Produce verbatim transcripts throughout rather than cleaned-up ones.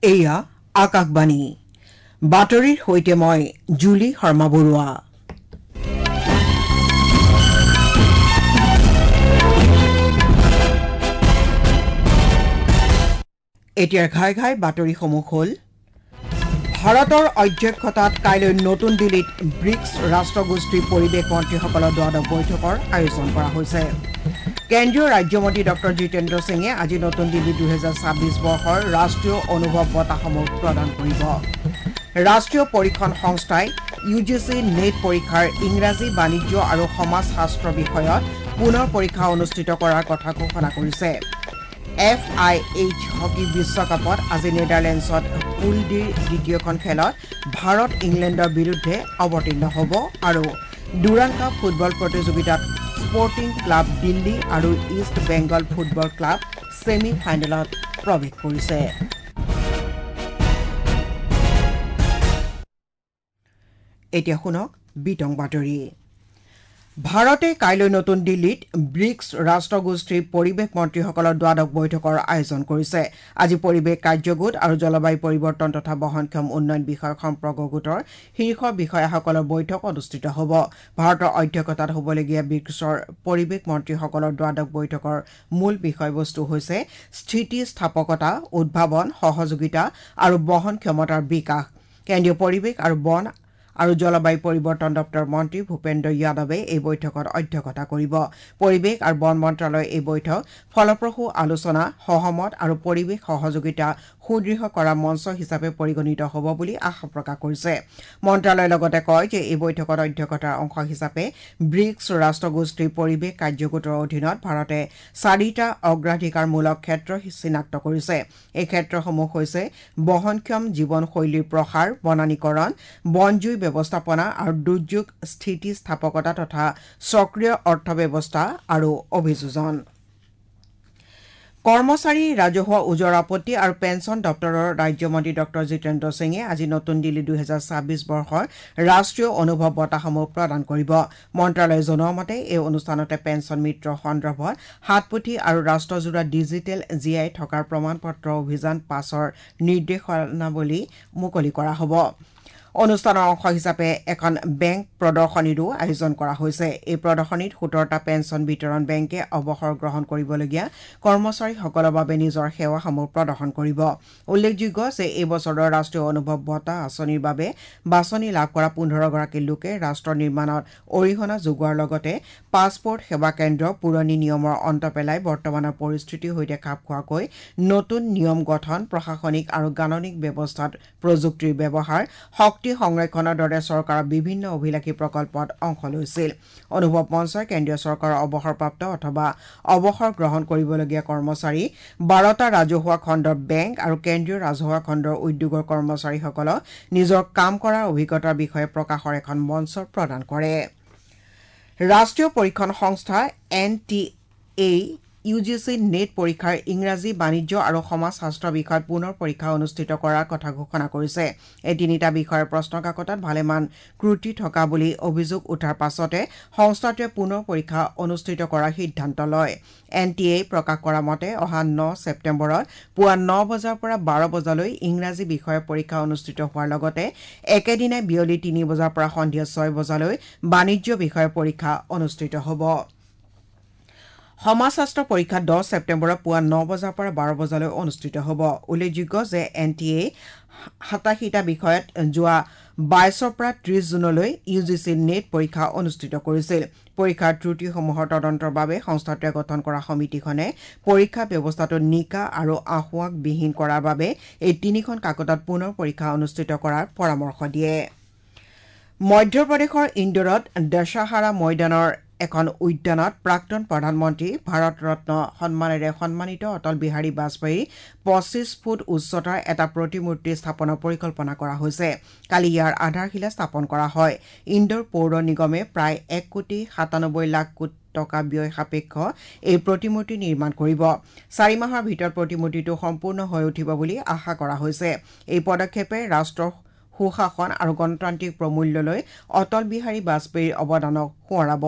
এয়া আকাশবাণী বাতৰিৰ সৈতে মই জুলি শৰ্মা বৰুৱা। এতিয়াৰ ঘাই ঘাই বাতৰিসমূহ হ'ল: ভাৰতৰ অধ্যক্ষতাত কাইলৈ নতুন দিল্লীত ব্ৰিক্স ৰাষ্ট্ৰগোষ্ঠীৰ পৰিৱেশ মন্ত্ৰীসকলৰ দ্বাদশ বৈঠকৰ আয়োজন কৰা হৈছে। কেন্দ্ৰীয় ৰাজ্যমন্ত্ৰী ডক্টৰ জিতেন্দ্ৰ সিঙে আজি নতুন দিল্লীত দুহেজাৰ ছাব্বিছ বৰ্ষৰ ৰাষ্ট্ৰীয় অনুভৱ বঁটাসমূহ প্ৰদান কৰিব। ৰাষ্ট্ৰীয় পৰীক্ষণ সংস্থাই ইউ জি চি নেট পৰীক্ষাৰ ইংৰাজী, বাণিজ্য আৰু সমাজশাস্ত্ৰ বিষয়ত পুনৰ পৰীক্ষা অনুষ্ঠিত কৰাৰ কথা ঘোষণা কৰিছে। এফ আই এইচ হকী বিশ্বকাপত আজি নেডাৰলেণ্ডছত পুল ডিৰ দ্বিতীয়খন খেলত ভাৰত ইংলেণ্ডৰ বিৰুদ্ধে অৱতীৰ্ণ হ'ব আৰু ডুৰাণ্ড কাপ ফুটবল প্ৰতিযোগিতাত স্পৰ্টিং ক্লাব দিল্লী আৰু East Bengal football club semi ফাইনেলত প্ৰৱেশ কৰিছে। এতিয়া শুনক বিতং বাতৰি। ভাৰতে কাইলৈ নতুন দিল্লীত ব্ৰিক্স ৰাষ্ট্ৰগোষ্ঠীৰ পৰিৱেশ মন্ত্ৰীসকলৰ দ্বাদশ বৈঠকৰ আয়োজন কৰিছে। আজি পৰিৱেশ কাৰ্যগোট আৰু জলবায়ু পৰিৱৰ্তন তথা বহনক্ষম উন্নয়ন বিষয়ক সম্পৰ্ক গোটৰ শীৰ্ষ বিষয়াসকলৰ বৈঠক অনুষ্ঠিত হ'ব। ভাৰতৰ অধ্যক্ষতাত হ'বলগীয়া ব্ৰিক্সৰ পৰিৱেশ মন্ত্ৰীসকলৰ দ্বাদশ বৈঠকৰ মূল বিষয়বস্তু হৈছে স্থিতিস্থাপকতা, উদ্ভাৱন, সহযোগিতা আৰু বহনক্ষমতাৰ বিকাশ। কেন্দ্ৰীয় পৰিৱেশ আৰু বন আৰু জলবায়ু পৰিৱৰ্তন দপ্তৰৰ মন্ত্ৰী ভূপেন্দ্ৰ যাদৱে এই বৈঠকত অধ্যক্ষতা কৰিব। পৰিৱেশ আৰু বন মন্ত্ৰালয়ে এই বৈঠক ফলপ্ৰসূ আলোচনা, সহমত আৰু পৰিৱেশ সহযোগিতা সুদৃঢ় কৰা মঞ্চ হিচাপে পৰিগণিত হ'ব বুলি আশা প্ৰকাশ কৰিছে। মন্ত্ৰালয়ে লগতে কয় যে এই বৈঠকত অধ্যক্ষতাৰ অংশ হিচাপে ব্ৰিক্স ৰাষ্ট্ৰগোষ্ঠীৰ পৰিৱেশ কাৰ্যগোটৰ অধীনত ভাৰতে চাৰিটা অগ্ৰাধিকাৰমূলক ক্ষেত্ৰ চিনাক্ত কৰিছে। এই ক্ষেত্ৰসমূহ হৈছে বহনক্ষম জীৱনশৈলীৰ প্ৰসাৰ, বনানীকৰণ, বনজুই ব্যৱস্থাপনা আৰু দুৰ্যোগ স্থিতিস্থাপকতা তথা সক্ৰিয় অৰ্থব্যৱস্থা আৰু অভিযোজন। কৰ্মচাৰী, ৰাজহুৱা ওজৰ আপত্তি আৰু পেঞ্চন দপ্তৰৰ ৰাজ্যমন্ত্ৰী ডক্টৰ জিতেন্দ্ৰ সিঙে আজি নতুন দিল্লীত দুহেজাৰ ছাব্বিছ বৰ্ষৰ ৰাষ্ট্ৰীয় অনুভৱ বঁটাসমূহ প্ৰদান কৰিব। মন্ত্ৰালয়ে জনোৱা মতে এই অনুষ্ঠানতে পেঞ্চন মিত্ৰ সন্দৰ্ভত হাতপুথি আৰু ৰাষ্ট্ৰজোৰা ডিজিটেল জীয়াই থকাৰ প্ৰমাণপত্ৰ অভিযান পাছৰ নিৰ্দেশনাৱলী মুকলি কৰা হ'ব। অনুষ্ঠানৰ অংশ হিচাপে এখন বেংক প্ৰদৰ্শনীৰো আয়োজন কৰা হৈছে। এই প্ৰদৰ্শনীত সোতৰটা পেঞ্চন বিতৰণ বেংকে অৱসৰ গ্ৰহণ কৰিবলগীয়া কৰ্মচাৰীসকলৰ বাবে নিজৰ সেৱাসমূহ প্ৰদৰ্শন কৰিব। উল্লেখযোগ্য যে এই বছৰৰ ৰাষ্ট্ৰীয় অনুভৱ বঁটা আঁচনিৰ বাবে বাছনি লাভ কৰা পোন্ধৰগৰাকী লোকে ৰাষ্ট্ৰ নিৰ্মাণত অৰিহণা যোগোৱাৰ লগতে পাছপৰ্ট সেৱা কেন্দ্ৰ পুৰণি নিয়মৰ অন্ত পেলাই বৰ্তমানৰ পৰিস্থিতিৰ সৈতে খাপ খোৱাকৈ নতুন নিয়ম গঠন, প্ৰশাসনিক আৰু গাণনিক ব্যৱস্থাত প্ৰযুক্তিৰ ব্যৱহাৰ, শক্তি সংৰক্ষণৰ দৰে চৰকাৰৰ বিভিন্ন অভিলাষী প্ৰকল্পত অংশ লৈছিল। অনুভৱ মঞ্চই কেন্দ্ৰীয় চৰকাৰৰ অৱসৰপ্ৰাপ্ত অথবা অৱসৰ গ্ৰহণ কৰিবলগীয়া কৰ্মচাৰী, বাৰটা ৰাজহুৱা খণ্ডৰ বেংক আৰু কেন্দ্ৰীয় ৰাজহুৱা খণ্ডৰ উদ্যোগৰ কৰ্মচাৰীসকলক নিজৰ কাম কৰাৰ অভিজ্ঞতাৰ বিষয়ে প্ৰকাশৰ এখন মঞ্চ প্ৰদান কৰে। ৰাষ্ট্ৰীয় পৰীক্ষণ সংস্থা N T A U G C NET পৰীক্ষাৰ ইংৰাজী, বাণিজ্য আৰু সমাজশাস্ত্ৰ বিষয়ত পুনৰ পৰীক্ষা অনুষ্ঠিত কৰাৰ কথা ঘোষণা কৰিছে। এই তিনিটা বিষয়ৰ প্ৰশ্নকাকতত ভালেমান ত্ৰুটি থকা বুলি অভিযোগ উঠাৰ পাছতে সংস্থাটোৱে পুনৰ পৰীক্ষা অনুষ্ঠিত কৰাৰ সিদ্ধান্ত লয়। এন টি এ প্ৰকাশ কৰা মতে অহা ন ছেপ্টেম্বৰত পুৱা ন বজাৰ পৰা বাৰ বজালৈ ইংৰাজী বিষয়ৰ পৰীক্ষা অনুষ্ঠিত হোৱাৰ লগতে একেদিনাই বিয়লি তিনি বজাৰ পৰা সন্ধিয়া ছয় বজালৈ বাণিজ্য বিষয়ৰ পৰীক্ষা অনুষ্ঠিত হ'ব। সমাজশাস্ত্ৰ পৰীক্ষা দহ ছেপ্টেম্বৰত পুৱা ন বজাৰ পৰা বাৰ বজালৈ অনুষ্ঠিত হ'ব। উল্লেখযোগ্য যে এন টি এ সাতাশীটা বিষয়ত যোৱা বাইছৰ পৰা ত্ৰিছ জুনলৈ ইউ জি চি নেট পৰীক্ষা অনুষ্ঠিত কৰিছিল। পৰীক্ষাৰ ত্ৰুটিসমূহৰ তদন্তৰ বাবে সংস্থাটোৱে গঠন কৰা সমিতিখনে পৰীক্ষা ব্যৱস্থাটো নিকা আৰু আসোঁৱাহবিহীন কৰাৰ বাবে এই তিনিখন কাকতত পুনৰ পৰীক্ষা অনুষ্ঠিত কৰাৰ পৰামৰ্শ দিয়ে। মধ্যপ্ৰদেশৰ ইন্দোৰত দশহাৰা ময়দানৰ এখন উদ্যানত প্ৰাক্তন প্ৰধানমন্ত্ৰী ভাৰত ৰত্ন সন্মানেৰে সন্মানিত অটল বিহাৰী বাজপেয়ীৰ পঁচিছ ফুট উচ্চতাৰ এটা প্ৰতিমূৰ্তি স্থাপনৰ পৰিকল্পনা কৰা হৈছে। কালি ইয়াৰ আধাৰশিলা স্থাপন কৰা হয়। ইন্দোৰ পৌৰ নিগমে প্ৰায় এক কোটি সাতানব্বৈ লাখ টকা ব্যয় সাপেক্ষ এই প্ৰতিমূৰ্তি নিৰ্মাণ কৰিব। চাৰি মাহৰ ভিতৰত প্ৰতিমূৰ্তিটো সম্পূৰ্ণ হৈ উঠিব বুলি আশা কৰা হৈছে। এই পদক্ষেপে ৰাষ্ট্ৰৰ সুশাসন আৰু গণতান্ত্ৰিক প্ৰমূল্যলৈ অটল বিহাৰী বাজপেয়ীৰ অৱদানক সোঁৱৰাব।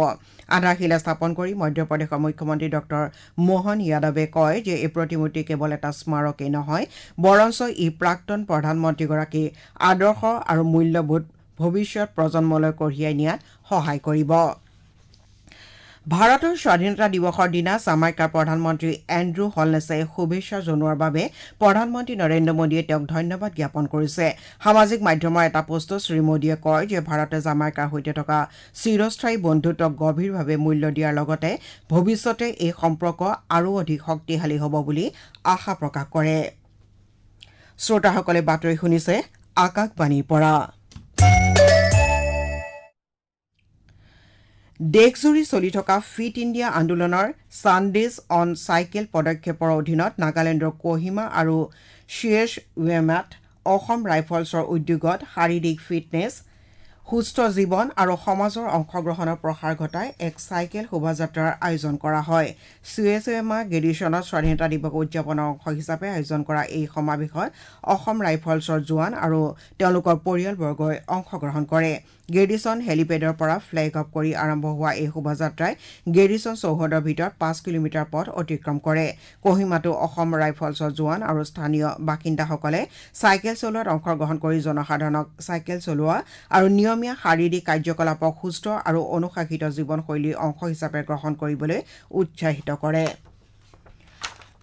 আধাৰশিলা স্থাপন কৰি মধ্যপ্ৰদেশৰ মুখ্যমন্ত্ৰী ডক্টৰ মোহন যাদৱে কয় যে এই প্ৰতিমূৰ্তি কেৱল এটা স্মাৰকেই নহয়, বৰঞ্চ ই প্ৰাক্তন প্ৰধানমন্ত্ৰীগৰাকীৰ আদৰ্শ আৰু মূল্যবোধ ভৱিষ্যত প্ৰজন্মলৈ কঢ়িয়াই নিয়াত সহায় কৰিব। ভাৰতৰ স্বাধীনতা দিৱসৰ দিনা জামাইকাৰ প্ৰধানমন্ত্ৰী এণ্ড্ৰু হলনেছে শুভেচ্ছা জনোৱাৰ বাবে প্ৰধানমন্ত্ৰী নৰেন্দ্ৰ মোদীয়ে তেওঁক ধন্যবাদ জ্ঞাপন কৰিছে। সামাজিক মাধ্যমৰ এটা পোষ্টত শ্ৰীমোদীয়ে কয় যে ভাৰতে জামাইকাৰ সৈতে থকা চিৰস্থায়ী বন্ধুত্বক গভীৰভাৱে মূল্য দিয়াৰ লগতে ভৱিষ্যতে এই সম্পৰ্ক আৰু অধিক শক্তিশালী হ'ব বুলি আশা প্ৰকাশ কৰে। শ্ৰোতাসকলে বাতৰি শুনিছে আকাশবাণীৰ পৰা। দেশজুৰি চলি থকা ফিট ইণ্ডিয়া আন্দোলনৰ ছানডেজ অন চাইকেল পদক্ষেপৰ অধীনত নাগালেণ্ডৰ কহিমা আৰু চিয়েছ-ৱেমাত অসম ৰাইফলছৰ উদ্যোগত শাৰীৰিক ফিটনেছ, সুস্থ জীৱন আৰু সমাজৰ অংশগ্ৰহণৰ প্ৰসাৰ ঘটাই এক চাইকেল শোভাযাত্ৰাৰ আয়োজন কৰা হয়। চিয়েছ-ৱেমা গেৰিছনত স্বাধীনতা দিৱস উদযাপনৰ অংশ হিচাপে আয়োজন কৰা এই সমাৱেশত অসম ৰাইফলছৰ জোৱান আৰু তেওঁলোকৰ পৰিয়ালবৰ্গই অংশগ্ৰহণ কৰে। গেৰিছন হেলিপেডৰ পৰা ফ্লেগ অফ কৰি আৰম্ভ হোৱা এই শোভাযাত্ৰাই গেৰিছন চৌহদৰ ভিতৰত পাঁচ কিলোমিটাৰ পথ অতিক্ৰম কৰে। কহিমাতো অসম ৰাইফলছৰ জোৱান আৰু স্থানীয় বাসিন্দাসকলে চাইকেল চলোৱাত অংশগ্ৰহণ কৰি জনসাধাৰণক চাইকেল চলোৱা আৰু নিয়মীয়া শাৰীৰিক কাৰ্যকলাপক সুস্থ আৰু অনুশাসিত জীৱনশৈলীৰ অংশ হিচাপে গ্ৰহণ কৰিবলৈ উৎসাহিত কৰে।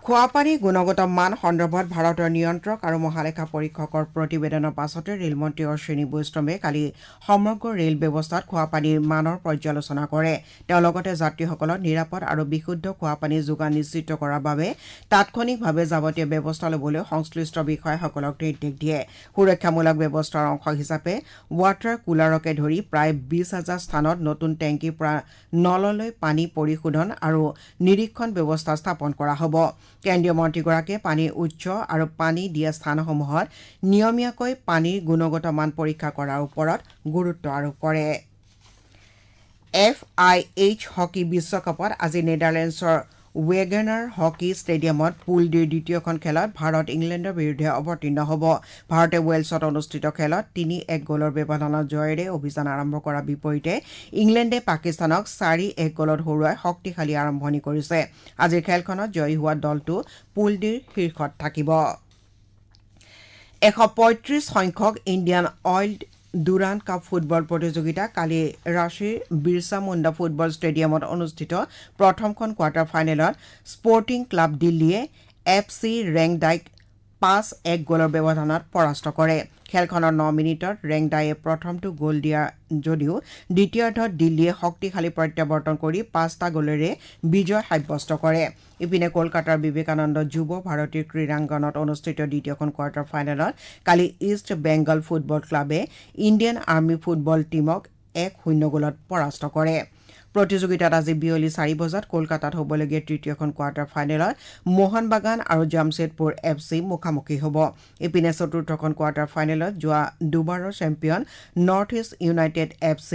খোৱাপানীৰ গুণগত মান সন্দৰ্ভত ভাৰতৰ নিয়ন্ত্ৰক আৰু মহালেখা পৰীক্ষকৰ প্ৰতিবেদনৰ পাছতে ৰেলমন্ত্ৰী অশ্বিনী বৈষ্ণৱে কালি সমগ্ৰ ৰেল ব্যৱস্থাত খোৱাপানীৰ মানৰ পৰ্যালোচনা কৰে। তেওঁ লগতে যাত্ৰীসকলক নিৰাপদ আৰু বিশুদ্ধ খোৱাপানী যোগান নিশ্চিত কৰাৰ বাবে তাৎক্ষণিকভাৱে যাৱতীয় ব্যৱস্থা ল'বলৈ সংশ্লিষ্ট বিষয়াসকলক নিৰ্দেশ দিয়ে। সুৰক্ষামূলক ব্যৱস্থাৰ অংশ হিচাপে ৱাটাৰ কুলাৰকে ধৰি প্ৰায় বিছ হাজাৰ স্থানত নতুন টেংকীৰ পৰা নললৈ পানী পৰিশোধন আৰু নিৰীক্ষণ ব্যৱস্থা স্থাপন কৰা হ'ব। কেন্দ্ৰীয় মন্ত্ৰীগৰাকীয়ে পানীৰ উৎস আৰু পানী দিয়া স্থানসমূহত নিয়মীয়াকৈ পানীৰ গুণগত মান পৰীক্ষা কৰাৰ ওপৰত গুৰুত্ব আৰোপ কৰে। এফ আই এইচ হকী বিশ্বকাপত আজি নেডাৰলেণ্ডছৰ ৱেগনাৰ হকী ষ্টেডিয়ামত পুল ডিৰ দ্বিতীয়খন খেলত ভাৰত ইংলেণ্ডৰ বিৰুদ্ধে অৱতীৰ্ণ হ'ব। ভাৰতে ৱেলছত অনুষ্ঠিত খেলত তিনি এক গ'লৰ ব্যৱধানত জয়েৰে অভিযান আৰম্ভ কৰাৰ বিপৰীতে ইংলেণ্ডে পাকিস্তানক চাৰি এক গ'লত হৰুৱাই শক্তিশালী আৰম্ভণি কৰিছে। আজিৰ খেলখনত জয়ী হোৱা দলটো পুল ডিৰ শীৰ্ষত থাকিব। এশ পঁয়ত্ৰিশ সংখ্যক Indian Oil Durand Cup football প্ৰতিযোগিতা কালি ৰাঁচীৰ বিৰছা মুণ্ডা ফুটবল ষ্টেডিয়ামত অনুষ্ঠিত প্ৰথমখন কোৱাৰ্টাৰ ফাইনেলত স্পৰ্টিং ক্লাব দিল্লীয়ে এফ চি ৰেংডাইক পাঁচ এক গ'লৰ ব্যৱধানত পৰাস্ত কৰে। খেলখনৰ ন মিনিটত ৰেংডাইয়ে প্ৰথমটো গ'ল দিয়া যদিও দ্বিতীয়াৰ্ধত দিল্লীয়ে শক্তিশালী প্ৰত্যাৱৰ্তন কৰি পাঁচটা গ'লেৰে বিজয় সাব্যস্ত কৰে। ইপিনে কলকাতাৰ বিবেকানন্দ যুৱ ভাৰতীৰ ক্ৰীড়াংগনত অনুষ্ঠিত দ্বিতীয়খন কোৱাৰ্টাৰ ফাইনেলত কালি ইষ্ট বেংগল ফুটবল ক্লাবে ইণ্ডিয়ান আৰ্মী ফুটবল টীমক এক শূন্য গ'লত পৰাস্ত কৰে। প্ৰতিযোগিতাত আজি বিয়লি চাৰি বজাত কলকাতাত হ'বলগীয়া তৃতীয়খন কোৱাৰ্টাৰ ফাইনেলত মোহন বাগান আৰু জামছেদপুৰ এফ চি মুখামুখি হ'ব। ইপিনে চতুৰ্থখন কোৱাৰ্টাৰ ফাইনেলত যোৱা দুবাৰৰ champion North East United F C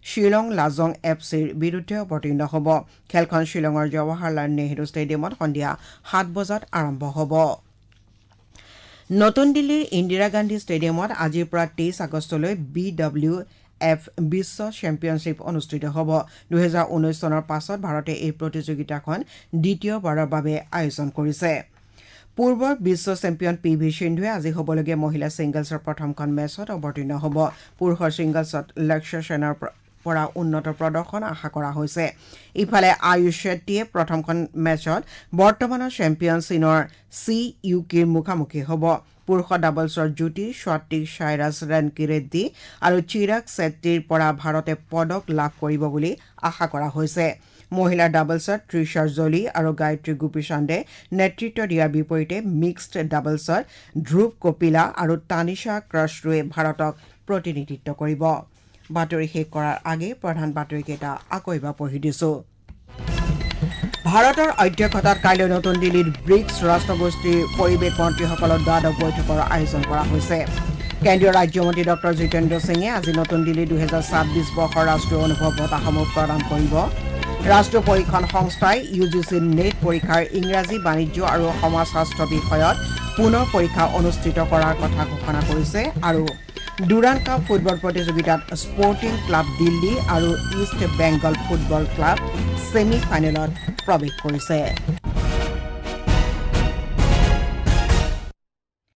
Shillong Lajong F চিৰ বিৰুদ্ধে অৱতীৰ্ণ হ'ব। খেলখন শ্বিলঙৰ জৱাহৰলাল নেহৰু ষ্টেডিয়ামত সন্ধিয়া সাত বজাত আৰম্ভ হ'ব। নতুন দিল্লীৰ ইন্দিৰা গান্ধী ষ্টেডিয়ামত আজিৰ পৰা তেইছ আগষ্টলৈ বি ডব্লিউ এফ বিশ্ব চেম্পিয়নশ্বিপ অনুষ্ঠিত হ'ব। দুহেজাৰ ঊনৈছ চনৰ পাছত ভাৰতে এই প্ৰতিযোগিতাখন দ্বিতীয়বাৰৰ বাবে আয়োজন কৰিছে। পূৰ্বৰ বিশ্ব চেম্পিয়ন পি ভি সিন্ধুৱে আজি হ'বলগীয়া মহিলা ছিংগলছৰ প্ৰথমখন মেচত অৱতীৰ্ণ হ'ব। পুৰুষৰ ছিংগলছত লক্ষ্য সেনৰ পৰা উন্নত প্ৰদৰ্শন আশা কৰা হৈছে। ইফালে আয়ুষ শেট্টীয়ে প্ৰথমখন মেচত বৰ্তমানৰ চেম্পিয়ন চীনৰ চি ইউকিৰ মুখামুখি হ'ব। পুৰুষৰ ডাবলছৰ যুটি স্বাতিক সাইৰাজ ৰেনকিৰেড্ডী আৰু চিৰাগ ছেট্টীৰ পৰা ভাৰতে পদক লাভ কৰিব বুলি আশা কৰা হৈছে। মহিলাৰ ডাবলছত তৃষা জলি আৰু গায়ত্ৰী গোপীচান্দে নেতৃত্ব দিয়াৰ বিপৰীতে মিক্সড ডাবলছত ধ্ৰুৱ কপিলা আৰু তানিশা ক্ৰাছৰুৱে ভাৰতক প্ৰতিনিধিত্ব কৰিব। বাতৰি শেষ কৰাৰ আগে প্ৰধান বাতৰিকেইটা আকৌ এবাৰ পঢ়ি দিছো। ভাৰতৰ অধ্যক্ষতাত কাইলৈ নতুন দিল্লীত ব্ৰিকছ ৰাষ্ট্ৰগোষ্ঠীৰ পৰিৱেশ মন্ত্ৰীসকলৰ দ্বাদশ বৈঠকৰ আয়োজন কৰা হৈছে। কেন্দ্ৰীয় ৰাজ্যমন্ত্ৰী ডক্টৰ জিতেন্দ্ৰ সিঙে আজি নতুন দিল্লীত দুহেজাৰ ছাব্বিছ বৰ্ষৰ ৰাষ্ট্ৰীয় অনুভৱ বঁটাসমূহ প্ৰদান কৰিব। ৰাষ্ট্ৰীয় পৰীক্ষণ সংস্থাই ইউ জি চি নেট পৰীক্ষাৰ ইংৰাজী, বাণিজ্য আৰু সমাজশাস্ত্ৰ বিষয়ত পুনৰ পৰীক্ষা অনুষ্ঠিত কৰাৰ কথা ঘোষণা কৰিছে। আৰু ডুৰাণ্ড কাপ ফুটবল প্ৰতিযোগিতাত স্পৰ্টিং ক্লাব দিল্লী আৰু east Bengal football club semi ফাইনেলত প্ৰৱেশ কৰিছে।